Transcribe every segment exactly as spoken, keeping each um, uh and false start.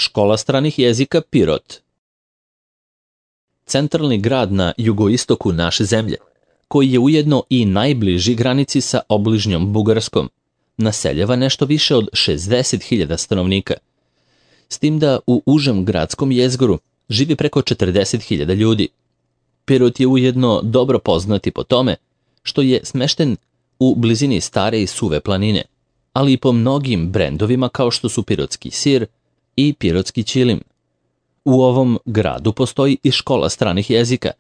Škola stranih jezika Pirot. Centralni grad na jugoistoku naše zemlje, koji je ujedno i najbliži granici sa obližnjom Bugarskom, naseljava nešto više od šezdeset hiljada stanovnika. S tim da u užem gradskom jezgru živi preko četrdeset hiljada ljudi. Pirot je ujedno dobro poznati po tome što je smešten u blizini stare i suve planine, ali i po mnogim brendovima kao što su pirotski sir i pirotski ćilim. U ovom gradu postoji i škola stranih jezika,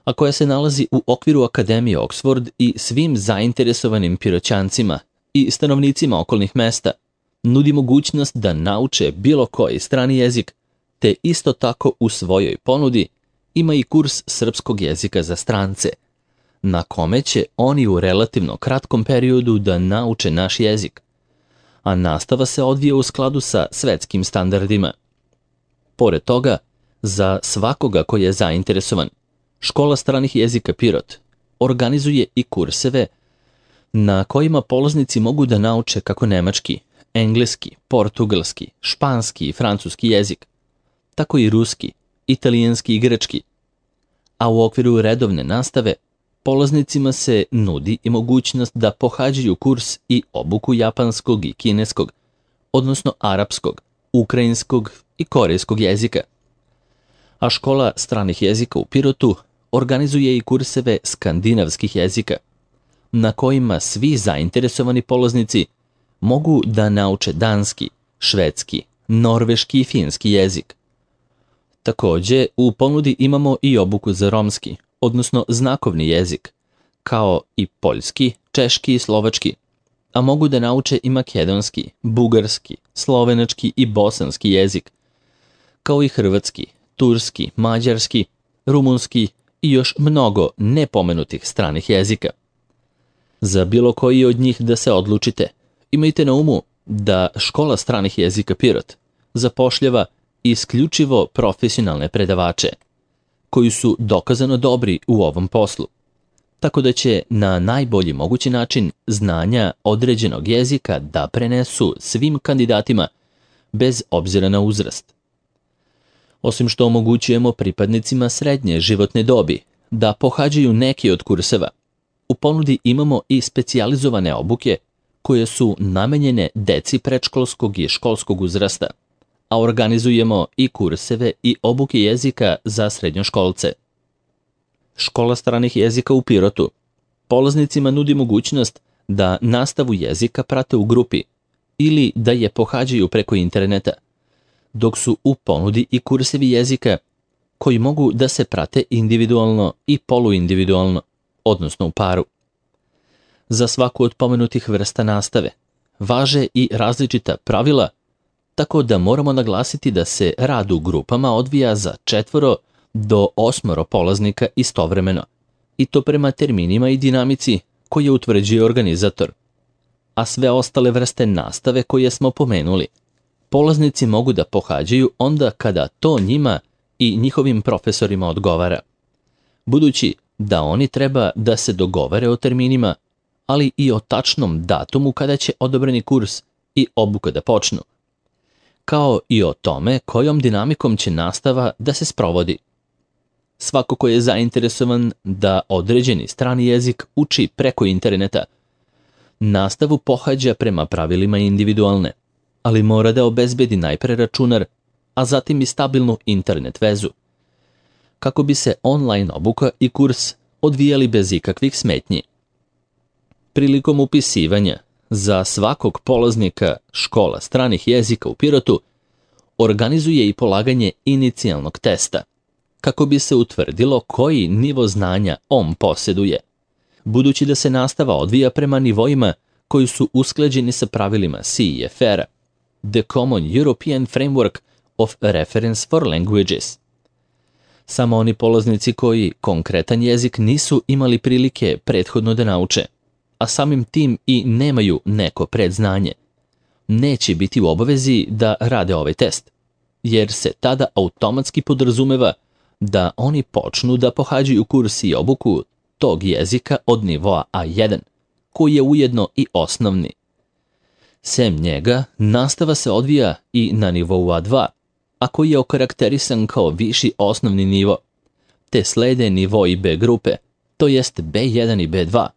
a koja se nalazi u okviru Akademije Oxford i svim zainteresovanim Piroćancima i stanovnicima okolnih mesta nudi mogućnost da nauče bilo koji strani jezik, te isto tako u svojoj ponudi ima i kurs srpskog jezika za strance, na kome će oni u relativno kratkom periodu da nauče naš jezik, a nastava se odvija u skladu sa svetskim standardima. Pored toga, za svakoga koji je zainteresovan, Škola stranih jezika Pirot organizuje i kurseve na kojima polaznici mogu da nauče kako nemački, engleski, portugalski, španski i francuski jezik, tako i ruski, italijanski i grčki. A u okviru redovne nastave polaznicima se nudi i mogućnost da pohađaju kurs i obuku japanskog i kineskog, odnosno arapskog, ukrajinskog i korejskog jezika. A škola stranih jezika u Pirotu organizuje i kurseve skandinavskih jezika, na kojima svi zainteresovani polaznici mogu da nauče danski, švedski, norveški i finski jezik. Također, u ponudi imamo i obuku za romski, odnosno znakovni jezik, kao i poljski, češki i slovački, a mogu da nauče i makedonski, bugarski, slovenački i bosanski jezik, kao i hrvatski, turski, mađarski, rumunski i još mnogo nepomenutih stranih jezika. Za bilo koji od njih da se odlučite, imajte na umu da Škola stranih jezika Pirot zapošljava isključivo profesionalne predavače, koji su dokazano dobri u ovom poslu, tako da će na najbolji mogući način znanja određenog jezika da prenesu svim kandidatima bez obzira na uzrast. Osim što omogućujemo pripadnicima srednje životne dobi da pohađaju neki od kurseva, u ponudi imamo i specijalizovane obuke koje su namenjene deci predškolskog i školskog uzrasta, a organizujemo i kurseve i obuke jezika za srednjoškolce. Škola stranih jezika u Pirotu polaznicima nudi mogućnost da nastavu jezika prate u grupi ili da je pohađaju preko interneta, dok su u ponudi i kursevi jezika koji mogu da se prate individualno i poluindividualno, odnosno u paru. Za svaku od pomenutih vrsta nastave važe i različita pravila, tako da moramo naglasiti da se rad u grupama odvija za četvoro do osmoro polaznika istovremeno, i to prema terminima i dinamici koje utvrđuje organizator. A sve ostale vrste nastave koje smo pomenuli, polaznici mogu da pohađaju onda kada to njima i njihovim profesorima odgovara, budući da oni treba da se dogovore o terminima, ali i o tačnom datumu kada će odobreni kurs i obuka da počnu, kao i o tome kojom dinamikom će nastava da se sprovodi. Svako ko je zainteresovan da određeni strani jezik uči preko interneta, nastavu pohađa prema pravilima individualne, ali mora da obezbedi najpre računar, a zatim i stabilnu internet vezu, kako bi se online obuka i kurs odvijali bez ikakvih smetnji. Prilikom upisivanja za svakog polaznika Škola stranih jezika u Pirotu organizuje i polaganje inicijalnog testa, kako bi se utvrdilo koji nivo znanja on posjeduje, budući da se nastava odvija prema nivoima koji su usklađeni sa pravilima C E F R-a, The Common European Framework of Reference for Languages. Samo oni polaznici koji konkretan jezik nisu imali prilike prethodno da nauče, a samim tim i nemaju neko predznanje, neće biti u obavezi da rade ovaj test, jer se tada automatski podrazumeva da oni počnu da pohađaju kurs i obuku tog jezika od nivoa A jedan, koji je ujedno i osnovni. Sem njega, nastava se odvija i na nivou A dva, a koji je okarakterisan kao viši osnovni nivo, te slede nivoi B grupe, to jest B jedan i B dva,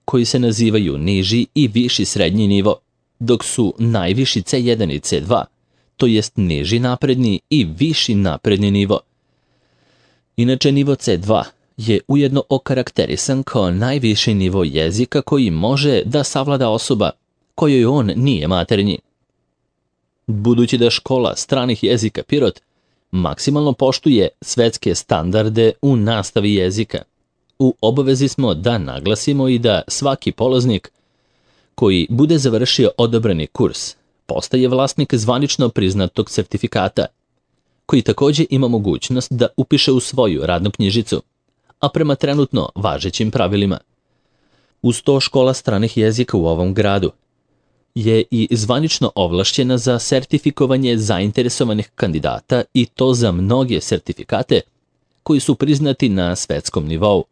koji se nazivaju niži i viši srednji nivo, dok su najviši C jedan i C dva, to jest niži napredni i viši napredni nivo. Inače, nivo C dva je ujedno okarakterisan kao najviši nivo jezika koji može da savlada osoba kojoj on nije maternji. Budući da škola stranih jezika Pirot maksimalno poštuje svetske standarde u nastavi jezika, u obavezi smo da naglasimo i da svaki polaznik koji bude završio odabrani kurs postaje vlasnik zvanično priznatog sertifikata, koji također ima mogućnost da upiše u svoju radnu knjižicu, a prema trenutno važećim pravilima. Uz to, škola stranih jezika u ovom gradu je i zvanično ovlašćena za sertifikovanje zainteresovanih kandidata, i to za mnoge sertifikate koji su priznati na svetskom nivou.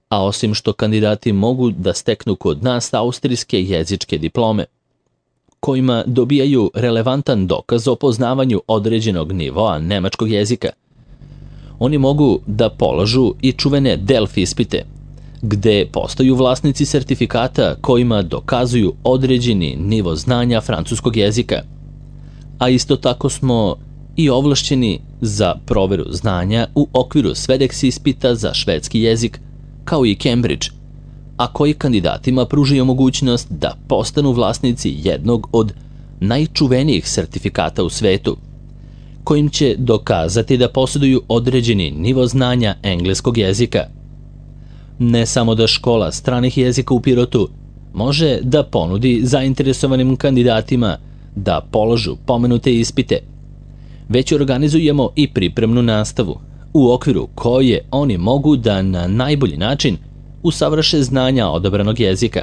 A osim što kandidati mogu da steknu kod nas austrijske jezičke diplome, kojima dobijaju relevantan dokaz o poznavanju određenog nivoa nemačkog jezika, oni mogu da polažu i čuvene Delfi ispite, gde postaju vlasnici sertifikata kojima dokazuju određeni nivo znanja francuskog jezika. A isto tako smo i ovlašćeni za proveru znanja u okviru Swedex ispita za švedski jezik, kao i Cambridge, a koji kandidatima pružaju mogućnost da postanu vlasnici jednog od najčuvenijih sertifikata u svetu, kojim će dokazati da posjeduju određeni nivo znanja engleskog jezika. Ne samo da škola stranih jezika u Pirotu može da ponudi zainteresovanim kandidatima da položu pomenute ispite, već organizujemo i pripremnu nastavu, u okviru koje oni mogu da na najbolji način usavrše znanja odabranog jezika,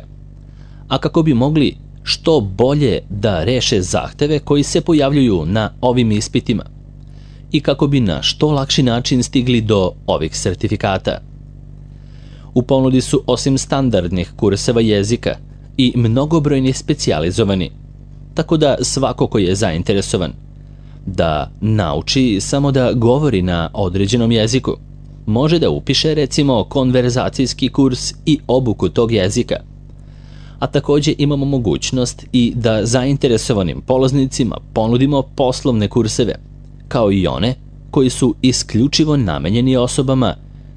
a kako bi mogli što bolje da reše zahteve koji se pojavljuju na ovim ispitima i kako bi na što lakši način stigli do ovih sertifikata. U ponudi su osim standardnih kurseva jezika i mnogobrojni specijalizovani, tako da svako ko je zainteresovan da nauči samo da govori na određenom jeziku može da upiše recimo konverzacijski kurs i obuku tog jezika. A također imamo mogućnost i da zainteresovanim polaznicima ponudimo poslovne kurseve, kao i one koji su isključivo namenjeni osobama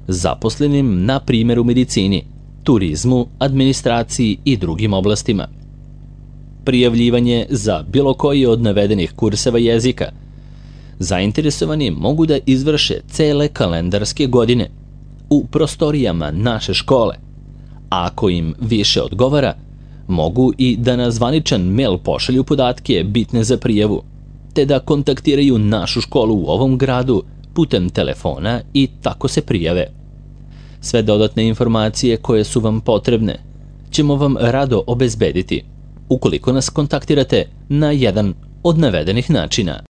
zaposlenim na primjer u medicini, turizmu, administraciji i drugim oblastima. Prijavljivanje za bilo koji od navedenih kurseva jezika zainteresovani mogu da izvrše cele kalendarske godine u prostorijama naše škole, a ako im više odgovara, mogu i da na zvaničan mail pošalju podatke bitne za prijavu, te da kontaktiraju našu školu u ovom gradu putem telefona i tako se prijave. Sve dodatne informacije koje su vam potrebne ćemo vam rado obezbediti ukoliko nas kontaktirate na jedan od navedenih načina.